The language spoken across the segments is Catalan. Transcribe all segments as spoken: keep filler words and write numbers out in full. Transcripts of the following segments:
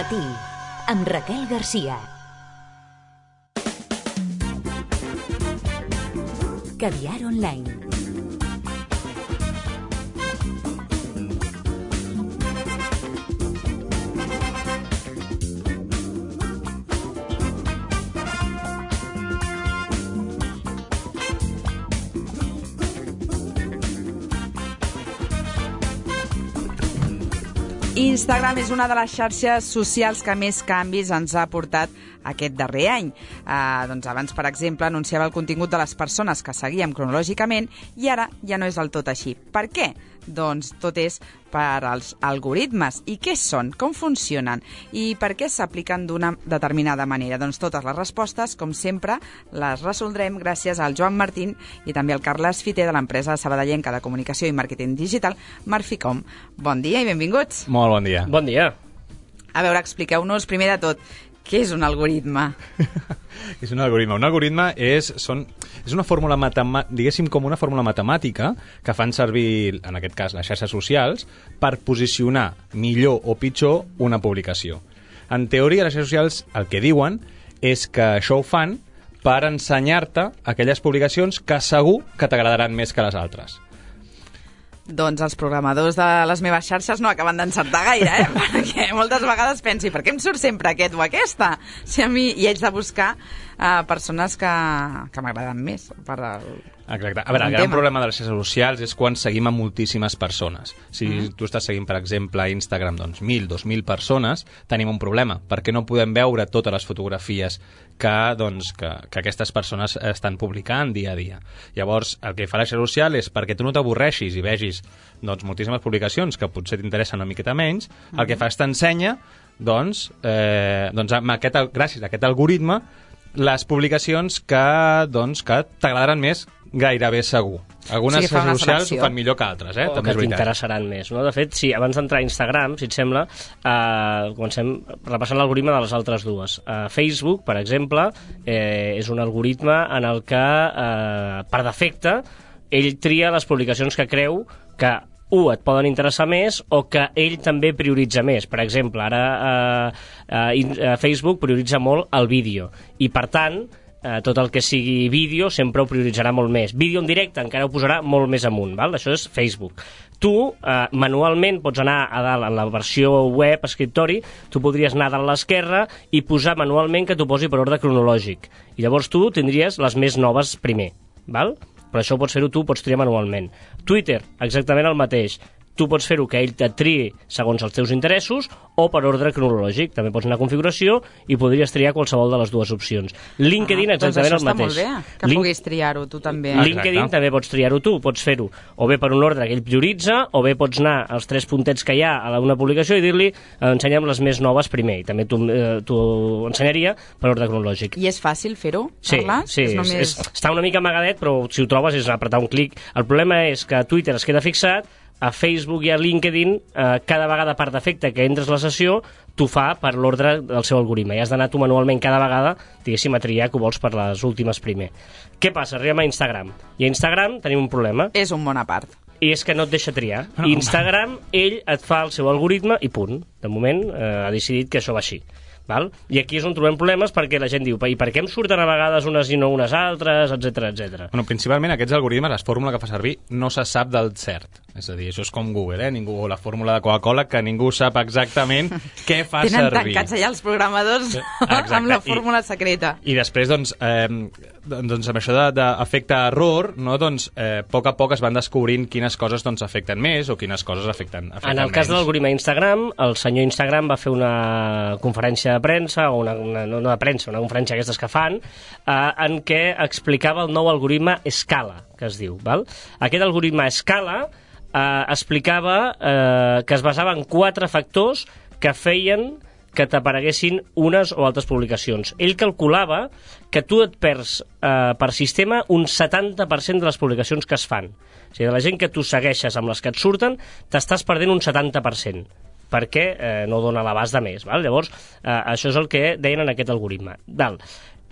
matí, amb Raquel Garcia. Caviar Online. Instagram és una de les xarxes socials que més canvis ens ha portat aquest darrer any. Uh, doncs abans, per exemple, anunciava el contingut de les persones que seguíem cronològicament i ara ja no és del tot així. Per què? Doncs tot és per als algoritmes. I què són? Com funcionen? I per què s'apliquen d'una determinada manera? Doncs totes les respostes, com sempre, les resoldrem gràcies al Joan Martín i també al Carles Fiter de l'empresa sabadellenca de comunicació i màrqueting digital, Marficom. Bon dia i benvinguts. Molt bon dia. Bon dia. A veure, expliqueu-nos primer de tot, què és un algoritme? És un algoritme. Un algoritme és, són, és una fórmula matemàtica, diguéssim com una fórmula matemàtica que fan servir, en aquest cas, les xarxes socials per posicionar millor o pitjor una publicació. En teoria, les xarxes socials el que diuen és que això ho fan per ensenyar-te aquelles publicacions que segur que t'agradaran més que les altres. Doncs els programadors de les meves xarxes no acaben d'encertar gaire, eh? Perquè moltes vegades pensi, per què em surt sempre aquest o aquesta? Si a mi, i haig de buscar uh, persones que, que m'agraden més per el... Exacte. A veure, el gran tema. problema de les xarxes socials és quan seguim a moltíssimes persones. Si uh -huh. tu estàs seguint, per exemple, a Instagram, doncs mil, dos mil persones, tenim un problema, perquè no podem veure totes les fotografies que, doncs, que, que aquestes persones estan publicant dia a dia. Llavors, el que fa la xarxa social és perquè tu no t'avorreixis i vegis doncs, moltíssimes publicacions que potser t'interessen una miqueta menys, uh -huh. el que fa és t'ensenya, doncs, eh, doncs amb aquest, gràcies a aquest algoritme, les publicacions que, doncs, que t'agradaran més gairebé segur. Algunes xarxes sí, socials ho fan millor que altres, eh? O també que t'interessaran més, no? De fet, sí, abans d'entrar a Instagram, si et sembla, eh, comencem repassant l'algoritme de les altres dues. Eh, Facebook, per exemple, eh, és un algoritme en el que, eh, per defecte, ell tria les publicacions que creu que u, et poden interessar més o que ell també prioritza més. Per exemple, ara eh, eh, Facebook prioritza molt el vídeo i, per tant, eh, tot el que sigui vídeo sempre ho prioritzarà molt més. Vídeo en directe encara ho posarà molt més amunt, val? Això és Facebook. Tu, eh, manualment, pots anar a dalt en la versió web, escriptori, tu podries anar a dalt a l'esquerra i posar manualment que t'ho posi per ordre cronològic. I llavors tu tindries les més noves primer, val? Però això ho pots fer-ho tu, pots triar manualment. Twitter, exactament el mateix. Tu pots fer-ho que ell te triï segons els teus interessos o per ordre cronològic. També pots anar a configuració i podries triar qualsevol de les dues opcions. LinkedIn, ah, exactament doncs el Doncs mateix. això està molt bé, que Link... puguis triar-ho tu també. LinkedIn Exacte. També pots triar-ho tu, pots fer-ho o bé per un ordre que ell prioritza, o bé pots anar als tres puntets que hi ha a una publicació i dir-li, eh, ensenya'm les més noves primer, i també t'ho eh, ensenyaria per ordre cronològic. I és fàcil fer-ho, Sí, Carles? sí, és és, només... és, està una mica amagadet, però si ho trobes és apretar un clic. El problema és que a Twitter es queda fixat, a Facebook i a LinkedIn, eh, cada vegada per defecte que entres a la sessió, t'ho fa per l'ordre del seu algoritme. I has d'anar tu manualment cada vegada, diguéssim, a triar que ho vols per les últimes primer. Què passa? Arribem a Instagram. I a Instagram tenim un problema. És un bon a part. I és que no et deixa triar. Instagram, ell et fa el seu algoritme i punt. De moment eh, ha decidit que això va així. Val? I aquí és on trobem problemes perquè la gent diu, i per què em surten a vegades unes i no unes altres, etcètera, etcètera. Bueno, principalment aquests algoritmes, la fórmula que fa servir, no se sap del cert. És a dir, això és com Google, eh? Ningú, la fórmula de Coca-Cola, que ningú sap exactament què fa Tenen servir. Tenen tancats allà els programadors Exacte. amb la fórmula secreta. I, i després, doncs, eh, doncs amb això d'efecte error, no? doncs, eh, a poc a poc es van descobrint quines coses doncs, afecten més o quines coses afecten, afecten En el cas menys. de l'algoritme Instagram, el senyor Instagram va fer una conferència de premsa, o una, una, no de premsa, una conferència aquestes que fan, eh, en què explicava el nou algoritme Scala, que es diu. Val? Aquest algoritme Scala eh, explicava eh, que es basava en quatre factors que feien que t'apareguessin unes o altres publicacions. Ell calculava que tu et perds eh, per sistema un setanta per cent de les publicacions que es fan. O sigui, de la gent que tu segueixes amb les que et surten, t'estàs perdent un setanta per cent perquè eh, no dona l'abast de més. Val? Llavors, eh, això és el que deien en aquest algoritme. Val.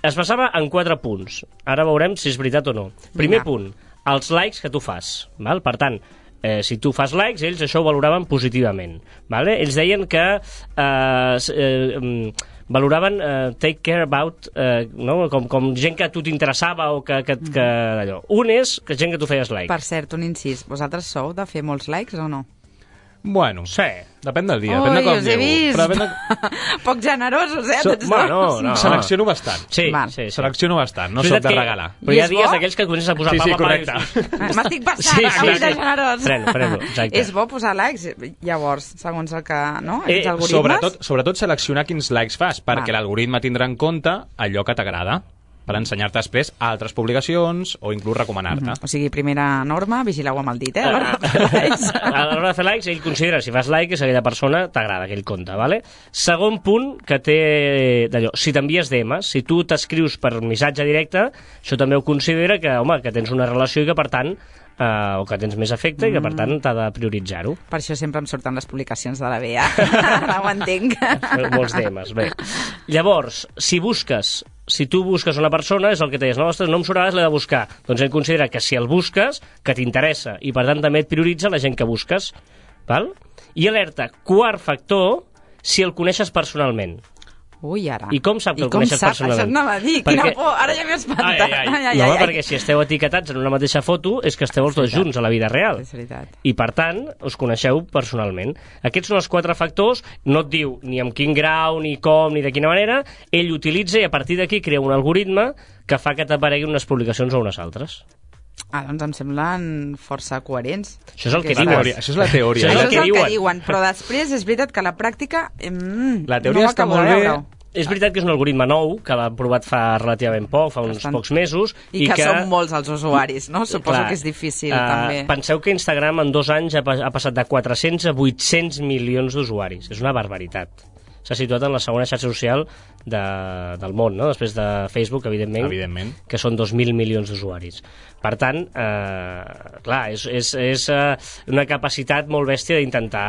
Es basava en quatre punts. Ara veurem si és veritat o no. Primer punt, els likes que tu fas. Val? Per tant, Eh, si tu fas likes, ells això ho valoraven positivament. Vale? Ells deien que eh, eh, valoraven uh, take care about, uh, no? com, com gent que a tu t'interessava o que, que, que allò. Un és que gent que tu feies like. Per cert, un incís, vosaltres sou de fer molts likes o no? Bueno, sí. Depèn del dia, Ui, depèn de com us he vist. Però de... Poc generosos, eh? So, bueno, no, no. Selecciono bastant. Sí, sí, sí. Selecciono bastant, no soc de regalar. Però hi ha dies d'aquells que comences a posar sí, sí, pa, pa, correcte. Pa, m'estic passant, sí, sí, avui sí. de generós. Freno, freno, exacte. És bo posar likes, llavors, segons el que, no? Eh, Els algoritmes. Sobretot, sobretot seleccionar quins likes fas, perquè Va. l'algoritme tindrà en compte allò que t'agrada, per ensenyar-te després altres publicacions o inclús recomanar-te. Mm -hmm. O sigui, primera norma, vigileu amb el dit, eh? A l'hora de A fer likes. l'hora de fer likes, ell considera, si fas like, que aquella persona t'agrada aquell compte, vale? Segon punt que té d'allò, si t'envies D Ms, si tu t'escrius per missatge directe, això també ho considera que, home, que tens una relació i que, per tant, Uh, o que tens més efecte mm. i que, per tant, t'ha de prioritzar-ho. Per això sempre em surten les publicacions de la B A. Ara ho entenc. Molts D Ms, bé. Llavors, si busques, si tu busques una persona, és el que deies, no, ostres, no em surt, l'he de buscar. Doncs ell considera que si el busques, que t'interessa, i per tant també et prioritza la gent que busques. Val? I alerta, quart factor, si el coneixes personalment. Ui, ara. I com sap que I el com coneixes sap? personalment? Això anava a dir, perquè... quina por, ara ja m'he espantat. Ai, ai, ai. Ai, ai, No, ai, home, ai. perquè si esteu etiquetats en una mateixa foto és que esteu els dos junts a la vida real. És veritat. I, per tant, us coneixeu personalment. Aquests són els quatre factors, no et diu ni amb quin grau, ni com, ni de quina manera, ell utilitza i a partir d'aquí crea un algoritme que fa que t'apareguin unes publicacions o unes altres. Ah, doncs em semblen força coherents. Això és el que Aquestes- diuen. Això és la teoria. Això Això és és el que el que diuen. diuen, però després és veritat que a la pràctica mm, La teoria no ho està acabo molt de bé. veure. És veritat que és un algoritme nou, que l'han provat fa relativament poc, fa uns Bastant. pocs mesos. I, que, que són molts els usuaris, no? Suposo Clar, que és difícil, eh, també. Penseu que Instagram en dos anys ha, pa- ha passat de quatre-cents a vuit-cents milions d'usuaris. És una barbaritat. S'ha situat en la segona xarxa social de, del món, no? Després de Facebook, evidentment, Evidentment. que són dos mil milions d'usuaris. Per tant, eh, clar, és, és, és eh, una capacitat molt bèstia d'intentar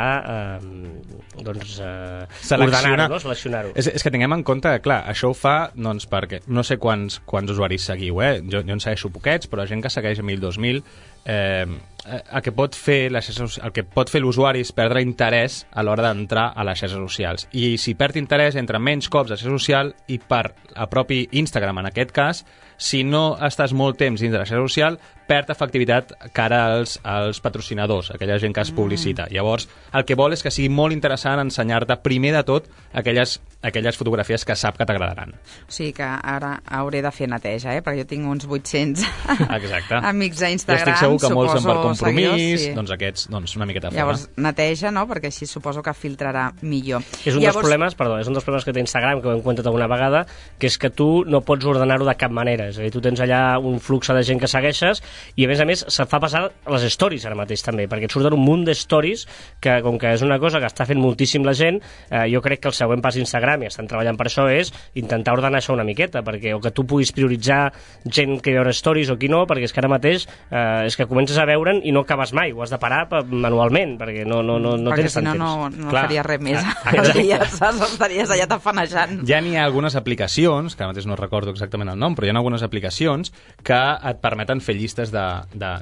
eh, doncs, eh, ordenar-ho, no? Seleccionar-ho. És, és que tinguem en compte que, clar, això ho fa, doncs, perquè no sé quants, quants usuaris seguiu, eh? Jo, jo en segueixo poquets, però gent que segueix a mil, dos mil, eh, el que pot fer la xarxa, el que pot fer l'usuari és perdre interès a l'hora d'entrar a les xarxes socials. I si perd interès, entra menys cops a la xarxa social i per a propi Instagram, en aquest cas, si no estàs molt temps dins de la xarxa social, perd efectivitat cara als, als patrocinadors, aquella gent que es publicita. Mm. Llavors, el que vol és que sigui molt interessant ensenyar-te primer de tot aquelles, aquelles fotografies que sap que t'agradaran. O sigui que ara hauré de fer neteja, eh? Perquè jo tinc uns vuit-cents Exacte. amics a Jo Instagram, estic segur que molts són per suposo, compromís, seguidors, sí. doncs aquests, doncs una miqueta fora. Llavors, neteja, no? Perquè així suposo que filtrarà millor. És un Llavors, dels problemes, perdó, és un dels problemes que té Instagram, que ho hem comentat alguna vegada, que és que tu no pots ordenar-ho de cap manera. És a dir, tu tens allà un flux de gent que segueixes i, a més a més, se't fa passar les stories ara mateix també, perquè et surten un munt de stories que, com que és una cosa que està fent moltíssim la gent, eh, jo crec que el següent pas d'Instagram, i estan treballant per això, és intentar ordenar això una miqueta, perquè o que tu puguis prioritzar gent que veure stories o qui no, perquè és que ara mateix eh, és que comences a veure'n i no acabes mai, ho has de parar manualment, perquè no, no, no, no perquè tens si no, tant no, temps. no Clar. faries res més. Ah, Els exacte. dies, saps? Estaries allà tafanejant. Ja n'hi ha algunes aplicacions, que ara mateix no recordo exactament el nom, però hi ha algunes aplicacions que et permeten fer llistes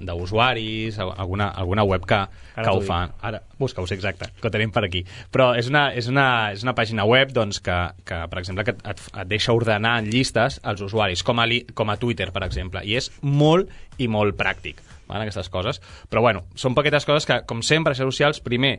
d'usuaris, alguna, alguna web que, que ho fan. Ara, busca-ho, sí, exacte, que ho tenim per aquí. Però és una, és una, és una pàgina web doncs, que, que, per exemple, que et, et deixa ordenar en llistes els usuaris, com a, li, com a Twitter, per exemple, i és molt i molt pràctic, van, aquestes coses. Però, bueno, són poquetes coses que, com sempre, a xarxes socials, primer,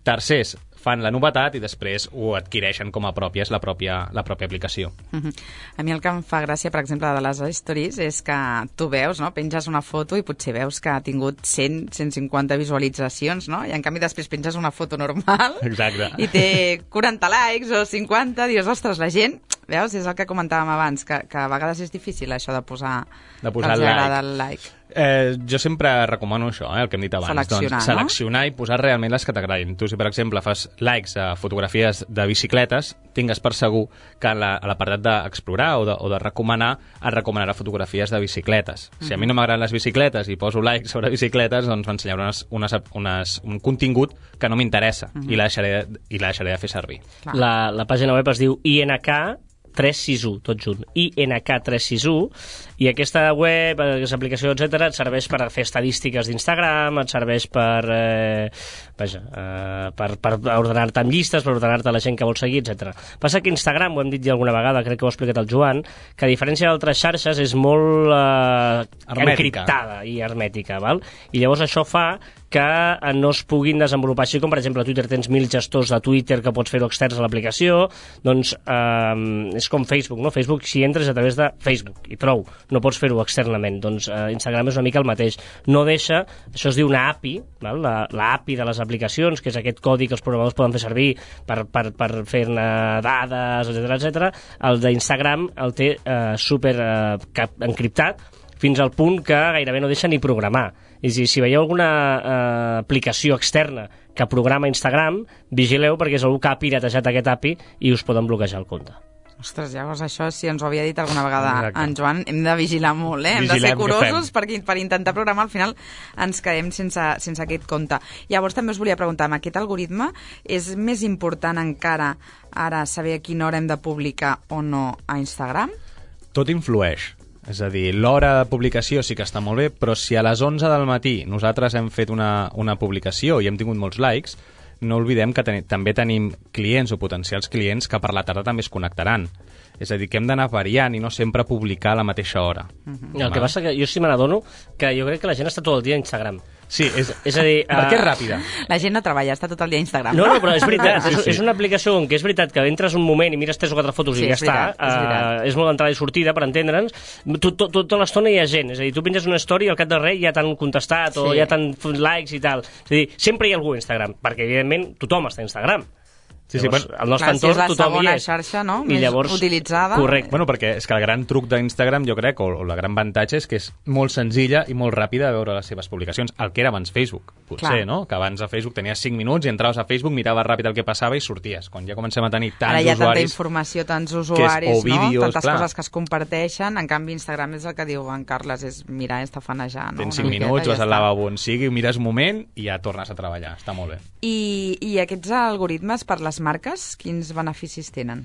tercers fan la novetat i després ho adquireixen com a pròpies la pròpia, la pròpia aplicació. Uh-huh. A mi el que em fa gràcia, per exemple, de les stories és que tu veus, no? Penges una foto i potser veus que ha tingut cent, cent cinquanta visualitzacions, no? I en canvi després penges una foto normal Exacte. i té quaranta likes o cinquanta, dius, ostres, la gent, veus, és el que comentàvem abans, que, que a vegades és difícil això de posar, De posar que els el agrada like. el like. Eh, jo sempre recomano això, eh, el que hem dit abans. Seleccionar, doncs, no? seleccionar i posar realment les que t'agradin. Tu, si per exemple fas likes a fotografies de bicicletes, tingues per segur que a la- a l'apartat d'explorar o, de, o de recomanar et recomanarà fotografies de bicicletes. Si a mi no m'agraden les bicicletes i poso likes sobre bicicletes, doncs m'ensenyarà unes, unes, unes, un contingut que no m'interessa i la deixaré, i la deixaré de fer servir. Clar. La, la pàgina web es diu I N K tres sis u, tot junt, I N K tres sis u, i aquesta web, aquesta aplicació, etcètera, et serveix per fer estadístiques d'Instagram, et serveix per, eh, vaja, eh, per, per ordenar-te amb llistes, per ordenar-te la gent que vols seguir, etcètera. Passa que Instagram, ho hem dit ja alguna vegada, crec que ho ha explicat el Joan, que a diferència d'altres xarxes és molt eh, encriptada i hermètica, val? I llavors això fa que no es puguin desenvolupar així, com per exemple a Twitter tens mil gestors de Twitter que pots fer-ho externs a l'aplicació, doncs eh, és com Facebook, no? Facebook, si entres a través de Facebook, i prou, no pots fer-ho externament, doncs eh, Instagram és una mica el mateix, no deixa, això es diu una A P I, val? La, la A P I de les aplicacions, que és aquest codi que els programadors poden fer servir per, per, per fer-ne dades, etcètera, etcètera, el d'Instagram el té eh, super eh, encriptat, fins al punt que gairebé no deixa ni programar. És a dir, si veieu alguna eh, aplicació externa que programa Instagram, vigileu perquè és algú que ha piratejat aquest A P I i us poden bloquejar el compte. Ostres, llavors això, si ens ho havia dit alguna vegada Exacte. en Joan, hem de vigilar molt, eh? Hem Vigilem, de ser curosos perquè per intentar programar, al final ens quedem sense, sense aquest compte. Llavors també us volia preguntar, amb aquest algoritme és més important encara ara saber a quina hora hem de publicar o no a Instagram? Tot influeix. És a dir, l'hora de publicació sí que està molt bé, però si a les onze del matí nosaltres hem fet una, una publicació i hem tingut molts likes, no oblidem que ten també tenim clients o potencials clients que per la tarda també es connectaran. És a dir, que hem d'anar variant i no sempre publicar a la mateixa hora. Uh-huh. El que passa que jo sí me n'adono que jo crec que la gent està tot el dia a Instagram. Sí, és, és a dir... perquè és uh... ràpida. La gent no treballa, està tot el dia a Instagram. No, no, però és veritat, Sí, és, sí. és una aplicació on que és veritat que entres un moment i mires tres o quatre fotos Sí, i ja és veritat, està, és veritat. uh, és molt entrada i sortida, per entendre'ns, tot, tot, tota l'estona hi ha gent, és a dir, tu penges una story i al cap de res ja t'han contestat o Sí. ja t'han fet likes i tal, és a dir, sempre hi ha algú a Instagram, perquè evidentment tothom està a Instagram. Sí, sí, Llavors, bueno, al nostre clar, si és entorn la tothom hi segona és. xarxa, no? I Més llavors, utilitzada. Correcte. Bueno, perquè és que el gran truc d'Instagram, jo crec, o, o la gran avantatge és que és molt senzilla i molt ràpida de veure les seves publicacions, el que era abans Facebook, potser, Clar. no? Que abans a Facebook tenies cinc minuts i entraves a Facebook, miraves ràpid el que passava i sorties. Quan ja comencem a tenir tants Ara hi ha tanta usuaris... informació, tants és- usuaris, o vídeos, no? Tantes clar. coses que es comparteixen. En canvi, Instagram és el que diu en Carles, és mirar, estafanejar, no? Tens Una cinc miqueta minuts, i vas ja al està. lavabo on sigui, mires un moment i ja tornes a treballar. Està molt bé. I, I aquests algoritmes per les marques, quins beneficis tenen?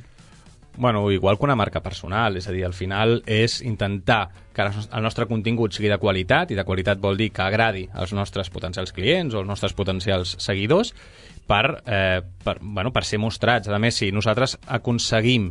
Bueno, igual que una marca personal, és a dir, al final és intentar que el nostre contingut sigui de qualitat, i de qualitat vol dir que agradi als nostres potencials clients o als nostres potencials seguidors per, eh, per, bueno, per ser mostrats. A més, si nosaltres aconseguim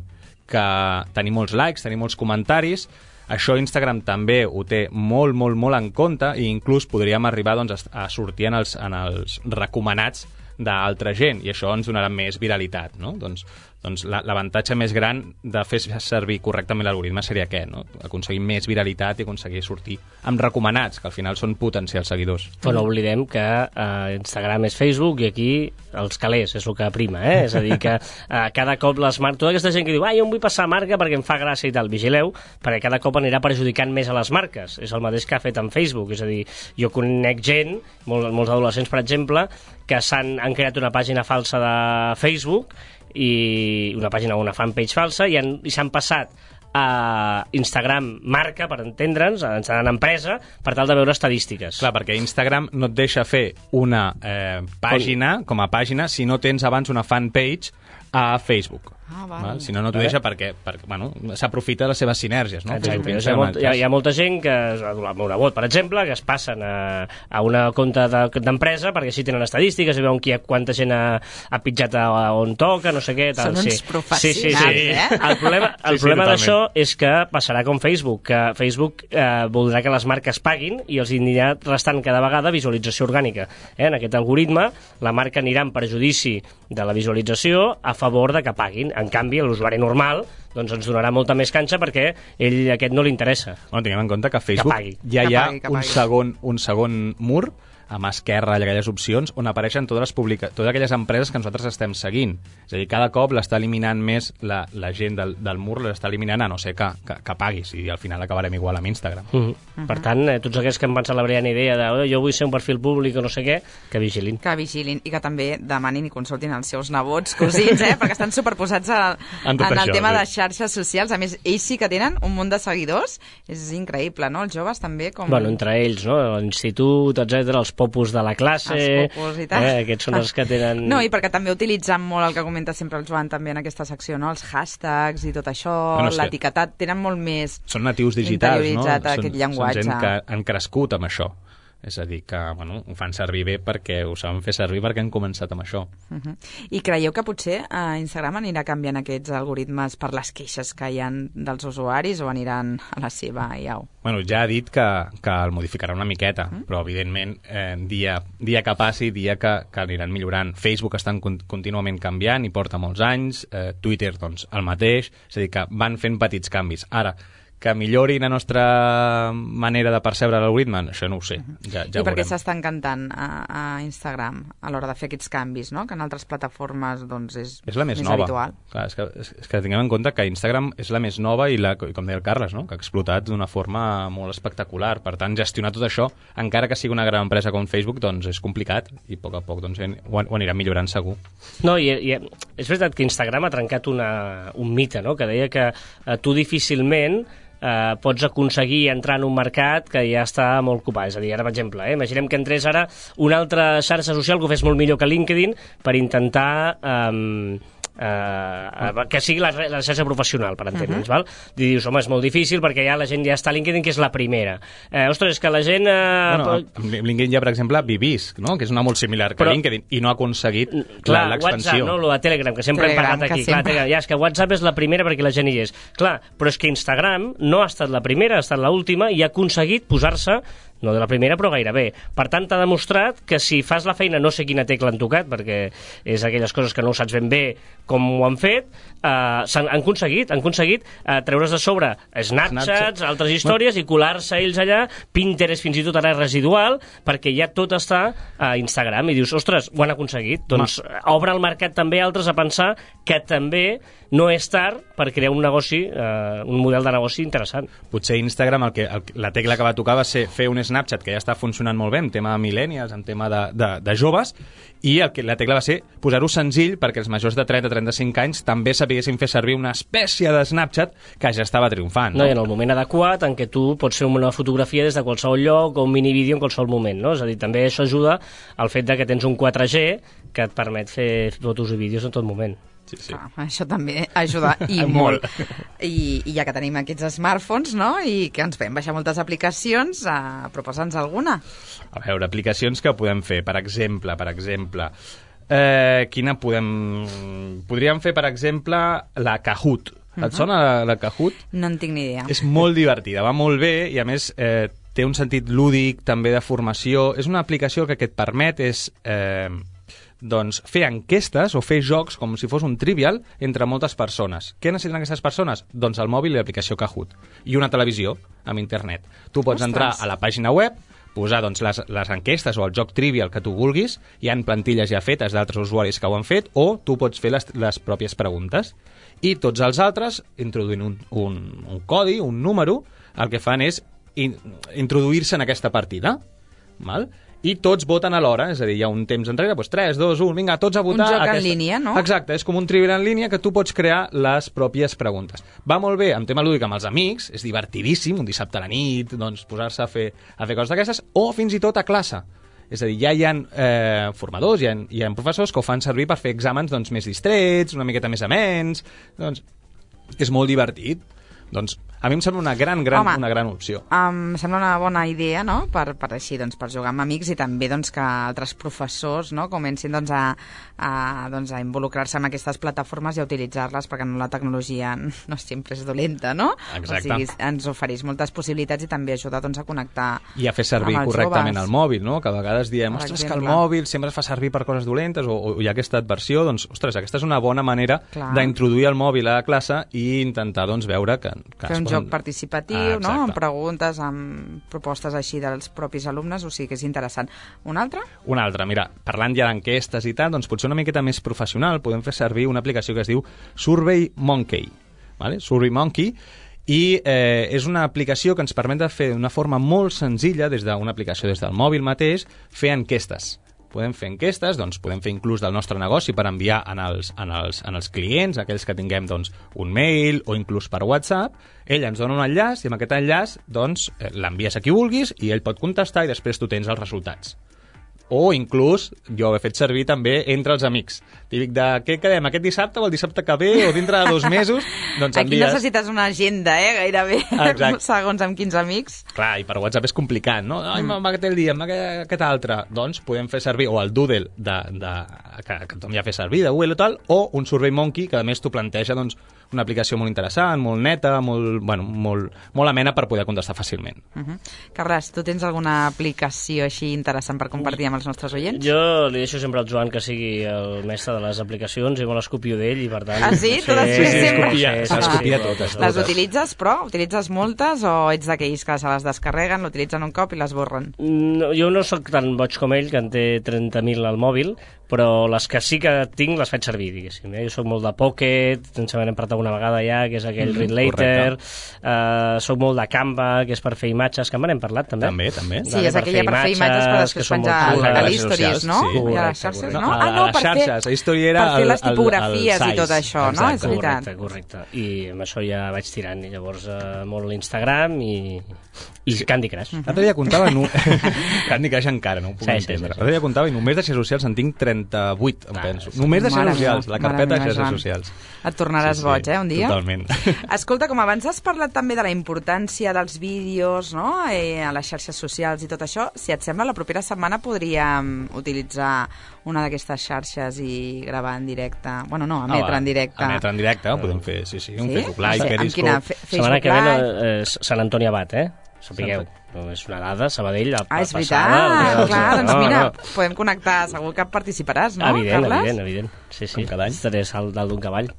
que tenim molts likes, tenim molts comentaris, això Instagram també ho té molt, molt, molt en compte i inclús podríem arribar doncs, a sortir en els, en els recomanats d'altra gent i això ens donarà més viralitat, no? Doncs, doncs l'avantatge més gran de fer servir correctament l'algoritme seria aquest, no? Aconseguir més viralitat i aconseguir sortir amb recomanats, que al final són potencials seguidors. Però no oblidem que eh, Instagram és Facebook i aquí els calés és el que prima, eh? És a dir, que eh, cada cop les marques... Tota aquesta gent que diu, ah, jo em vull passar marca perquè em fa gràcia i tal, vigileu, perquè cada cop anirà perjudicant més a les marques. És el mateix que ha fet en Facebook, és a dir, jo conec gent, molts, molts adolescents, per exemple, que s'han han creat una pàgina falsa de Facebook i una pàgina o una fanpage falsa i, han, i s'han passat a Instagram marca, per entendre'ns, en empresa, per tal de veure estadístiques. Clar, perquè Instagram no et deixa fer una eh, pàgina, com a pàgina, si no tens abans una fanpage a Facebook. Ah, val. Val? Si no, no t'ho deixa perquè, perquè bueno, s'aprofita de les seves sinèrgies. No? Exacte. Hi ha, molt, hi, ha, hi ha molta gent que, una bot, per exemple, que es passen a, a una compte d'empresa de, perquè així tenen estadístiques i veuen qui, quanta gent ha, ha pitjat a, a on toca, no sé què. Tal. Són uns sí. professionals, sí, sí, sí. eh? El problema, el sí, sí, problema d'això és que passarà com Facebook, que Facebook eh, voldrà que les marques paguin i els anirà restant cada vegada visualització orgànica. Eh? En aquest algoritme, la marca anirà en perjudici de la visualització a favor de que paguin. En canvi, l'usuari normal doncs ens donarà molta més canxa perquè ell aquest no li interessa. Bueno, tinguem en compte que a Facebook Que pagui. ja hi ha Que pagui, que un, pagui. segon, un segon mur a mà esquerra, aquelles opcions, on apareixen totes, les publica... totes aquelles empreses que nosaltres estem seguint. És a dir, cada cop l'està eliminant més la, la gent del, del mur, l'està eliminant a no ser que, que, que paguis, i al final acabarem igual amb Instagram. Uh -huh. Uh -huh. Per tant, eh, tots aquells que em van celebrar la brillant idea de oh, jo vull ser un perfil públic o no sé què, que vigilin. Que vigilin i que també demanin i consultin els seus nebots, cosins, eh? Perquè estan superposats a, En en, tot el això, tema sí. de xarxes socials. A més, ells sí que tenen un munt de seguidors. És increïble, no? Els joves també com... Bueno, entre ells, no? L'institut, etcètera, els popus de la classe. Els popus i tal. Eh, aquests són els que tenen... No, i perquè també utilitzem molt el que comenta sempre el Joan també en aquesta secció, no? Els hashtags i tot això, bueno, l'etiquetat, tenen molt més... Són natius digitals, no? Interioritzat aquest llenguatge. Són gent que han crescut amb això. És a dir, que bueno, ho fan servir bé perquè ho saben fer servir perquè han començat amb això. Uh -huh. I creieu que potser a Instagram anirà canviant aquests algoritmes per les queixes que hi ha dels usuaris o aniran a la seva i au? Bueno, ja ha dit que, que el modificarà una miqueta, uh -huh. però evidentment eh, dia, dia que passi, dia que, que aniran millorant. Facebook estan con contínuament canviant i porta molts anys, eh, Twitter doncs el mateix, és a dir, que van fent petits canvis. Ara, que millorin la nostra manera de percebre l'algoritme, això no ho sé. Ja, ja I per què veurem. s'està encantant a, a Instagram a l'hora de fer aquests canvis, no? Que en altres plataformes doncs, és, és la més, més nova. habitual. Clar, és, que, és que tinguem en compte que Instagram és la més nova i, la, com deia el Carles, no? Que ha explotat d'una forma molt espectacular. Per tant, gestionar tot això, encara que sigui una gran empresa com Facebook, doncs és complicat i a poc a poc doncs, ho, ho anirà millorant segur. No, i, i és veritat que Instagram ha trencat una, un mite, no? Que deia que eh, tu difícilment Uh, pots aconseguir entrar en un mercat que ja està molt ocupat. És a dir, ara, per exemple, eh, imaginem que entrés ara una altra xarxa social que ho fes molt millor que LinkedIn per intentar... Um, Uh, que sigui la, la xarxa professional, per entendre'ns, uh -huh. val? I dius, home, és molt difícil perquè ja la gent ja està a LinkedIn, que és la primera. Uh, ostres, és que la gent... Uh, bueno, amb LinkedIn hi ha, per exemple, Vivisc, no? Que és una molt similar que però, LinkedIn, i no ha aconseguit l'expansió. WhatsApp, no? Lo de Telegram, que sempre Telegram, hem parlat aquí. Clar, Telegram, ja, és que WhatsApp és la primera perquè la gent hi és. Clar, però és que Instagram no ha estat la primera, ha estat l'última i ha aconseguit posar-se no de la primera, però gairebé. Per tant, t'ha demostrat que si fas la feina, no sé quina tecla han tocat, perquè és aquelles coses que no ho saps ben bé com ho han fet, eh, han, han aconseguit, han aconseguit eh, treure's de sobre Snapchats, Snapchat. altres històries, i colar-se ells allà, Pinterest fins i tot ara és residual, perquè ja tot està a Instagram, i dius, ostres, ho han aconseguit. Doncs Ma. obre el mercat també a altres a pensar que també no és tard per crear un negoci, eh, un model de negoci interessant. Potser Instagram, el que, el, la tecla que va tocar va ser fer un Snapchat que ja està funcionant molt bé en tema de millennials, en tema de, de, de joves, i el que, la tecla va ser posar-ho senzill perquè els majors de trenta a trenta-cinc anys també sapiguessin fer servir una espècie de Snapchat que ja estava triomfant. No? No, i en el moment adequat en què tu pots fer una fotografia des de qualsevol lloc o un minivídeo en qualsevol moment, no? És a dir, també això ajuda al fet de que tens un quatre G que et permet fer fotos i vídeos en tot moment. Sí, sí. Ah, això també ajuda i molt. I, I ja que tenim aquests smartphones, no?, i que ens podem baixar moltes aplicacions, eh, proposa'ns alguna. A veure, aplicacions que podem fer, per exemple, per exemple, eh, quina podem... Podríem fer, per exemple, la Kahoot. Et uh-huh. sona la, la Kahoot? No en tinc ni idea. És molt divertida, va molt bé i, a més, eh, té un sentit lúdic, també de formació. És una aplicació que, que et permet és... Eh, doncs fer enquestes o fer jocs com si fos un trivial entre moltes persones. Què necessiten aquestes persones? Doncs el mòbil i l'aplicació Kahoot. I una televisió amb internet. Tu pots Ostres. entrar a la pàgina web, posar doncs, les, les enquestes o el joc trivial que tu vulguis, hi ha plantilles ja fetes d'altres usuaris que ho han fet, o tu pots fer les, les pròpies preguntes. I tots els altres, introduint un, un, un codi, un número, el que fan és in, introduir-se en aquesta partida. Val? I tots voten alhora, és a dir, hi ha un temps enrere, doncs tres, dos, un, vinga, tots a votar. Un joc aquesta... en línia, no? Exacte, és com un trivial en línia que tu pots crear les pròpies preguntes. Va molt bé amb tema lúdic amb els amics, és divertidíssim, un dissabte a la nit, doncs posar-se a fer, a fer coses d'aquestes, o fins i tot a classe. És a dir, ja hi ha eh, formadors, hi ha, hi ha professors que ho fan servir per fer exàmens doncs, més distrets, una miqueta més amens, doncs és molt divertit. Doncs a mi em sembla una gran, gran, Home, una gran opció. Em sembla una bona idea, no?, per, per així, doncs, per jugar amb amics i també doncs, que altres professors, no?, comencin doncs, a, a, doncs, a involucrar-se en aquestes plataformes i a utilitzar-les, perquè no la tecnologia no sempre és dolenta, no? Exacte. O sigui, ens ofereix moltes possibilitats i també ajuda doncs, a connectar i a fer servir correctament joves. El mòbil, no? Que a vegades diem, ostres, exemple. que el mòbil sempre es fa servir per coses dolentes, o, o hi ha aquesta adversió, doncs, ostres, aquesta és una bona manera d'introduir el mòbil a la classe i intentar, doncs, veure que... que fer un joc participatiu, ah, no?, amb preguntes, amb propostes així dels propis alumnes, o sigui que és interessant. Un altre? Un altre, mira, parlant ja d'enquestes i tal, doncs potser una miqueta més professional podem fer servir una aplicació que es diu Survey Monkey, ¿vale? Survey Monkey, i eh, és una aplicació que ens permet de fer d'una forma molt senzilla, des d'una aplicació des del mòbil mateix, fer enquestes. Podem fer enquestes, doncs podem fer inclús del nostre negoci per enviar en els, en els, en els clients, aquells que tinguem doncs, un mail o inclús per WhatsApp. Ell ens dona un enllaç i amb aquest enllaç doncs, l'envies a qui vulguis i ell pot contestar i després tu tens els resultats. O inclús, jo ho he fet servir també entre els amics. Típic de, què quedem, aquest dissabte o el dissabte que ve o dintre de dos mesos? Doncs Aquí envies... necessites una agenda, eh, gairebé, Exacte. segons amb quins amics. Clar, i per WhatsApp és complicat, no? Ai, mm. aquest el dia, aquest, aquest altre. Doncs podem fer servir o el Doodle de, de, que, que tothom ja fa servir, de Google o tal, o un SurveyMonkey, que a més t'ho planteja doncs, una aplicació molt interessant, molt neta, molt, bueno, molt, molt amena per poder contestar fàcilment. Uh -huh. Carles, tu tens alguna aplicació així interessant per compartir amb els nostres oients? Jo li deixo sempre al Joan que sigui el mestre de les aplicacions i me les copio d'ell i per tant... Ah, sí? Tu les sí, sí, sempre? copia, Sí, sí, les sí, copia sí, totes. Les utilitzes, però? Utilitzes moltes o ets d'aquells que se les descarreguen, l'utilitzen un cop i les borren? No, jo no sóc tan boig com ell, que en té trenta mil al mòbil, però les que sí que tinc les faig servir, diguéssim. Eh? Jo sóc molt de Pocket, ens n'hem parlat alguna vegada ja, que és aquell mm, Read Later, uh, sóc molt de Canva, que és per fer imatges, que en n'hem parlat també. També, també. Sí, vale, és aquella per fer imatges per després penjar a l'Histories, no? Sí. I a les xarxes, no? no Ah, no, per fer, xarxes, era per fer les el, el, tipografies el i tot això, no? És veritat. Correcte, correcte. I amb això ja vaig tirant, i llavors uh, molt l'Instagram i, i sí. Candy Crush. L'altre dia comptava... No... Candy Crush encara, no ho puc sí, entendre. Sí, sí, sí. L'altre dia comptava i només de xarxes socials en tinc trenta-vuit, em ah, penso. Sí. Només de xarxes socials, la carpeta de xarxes socials. Et tornaràs sí, sí, boig, eh, un dia? Totalment. Escolta, com abans has parlat també de la importància dels vídeos, no?, eh, a les xarxes socials i tot això, si et sembla, la propera setmana podríem utilitzar una d'aquestes xarxes i gravar en directe. Bueno, no, emetre ah, en directe. Emetre en directe, ho podem fer, sí, sí. Un sí? Facebook Live, sí, Periscope... Amb quina? Setmana que ve no, eh, Sant Antoni Abat, eh? Sapigueu. No, és una dada, Sabadell, ah, és passada. veritat, clar, doncs no, mira, no. podem connectar, segur que participaràs, no, evident, Carles? Evident, evident, sí, sí. Com cada any. Estaré salt dalt d'un cavall.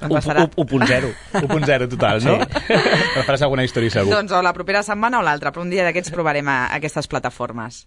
Doncs serà... u punt zero. u punt zero total, no? Sí. Però faràs alguna història segur. Doncs o la propera setmana o l'altra, però un dia d'aquests provarem a aquestes plataformes.